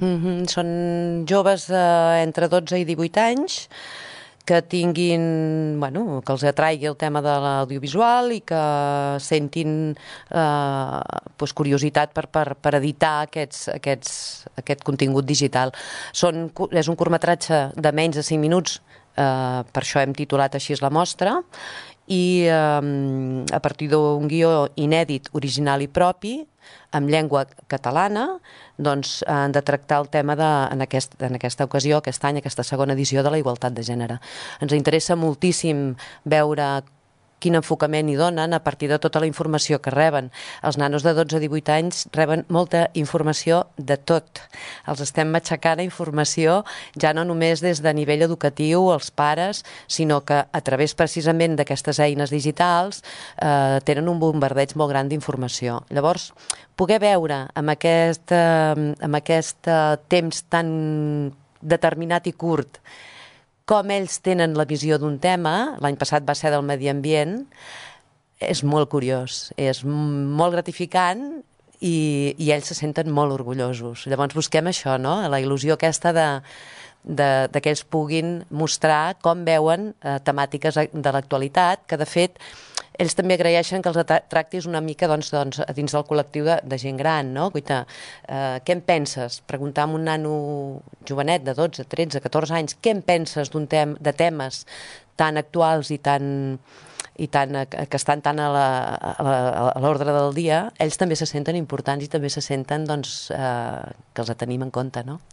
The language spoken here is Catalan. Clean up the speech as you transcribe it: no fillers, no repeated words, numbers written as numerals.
Són joves entre 12 i 18 anys que tinguin, bueno, que els atraigui el tema de l'audiovisual i que sentin curiositat per editar aquest contingut digital. És un curtmetratge de menys de 5 minuts, per això hem titulat així la mostra, i a partir d'un guió inèdit, original i propi, amb llengua catalana, doncs han de tractar el tema en aquesta ocasió, aquest any, aquesta segona edició de la igualtat de gènere. Ens interessa moltíssim veure quin enfocament hi donen a partir de tota la informació que reben. Els nanos de 12 a 18 anys reben molta informació de tot. Els estem matxacant a informació ja no només des de nivell educatiu, els pares, sinó que a través precisament d'aquestes eines digitals tenen un bombardeig molt gran d'informació. Llavors, poder veure amb aquest temps tan determinat i curt com ells tenen la visió d'un tema, l'any passat va ser del medi ambient, és molt curiós, és molt gratificant i ells se senten molt orgullosos. Llavors busquem això, no? La il·lusió aquesta de que ells puguin mostrar com veuen temàtiques de l'actualitat, que de fet ells també agraeixen que els tractis una mica dins del col·lectiu de gent gran, no? Guaita, què en penses? Preguntar a un nano jovenet de 12, 13, 14 anys, què en penses de temes tan actuals i que estan tan a l'ordre del dia, ells també se senten importants i també se senten que els tenim en compte, no?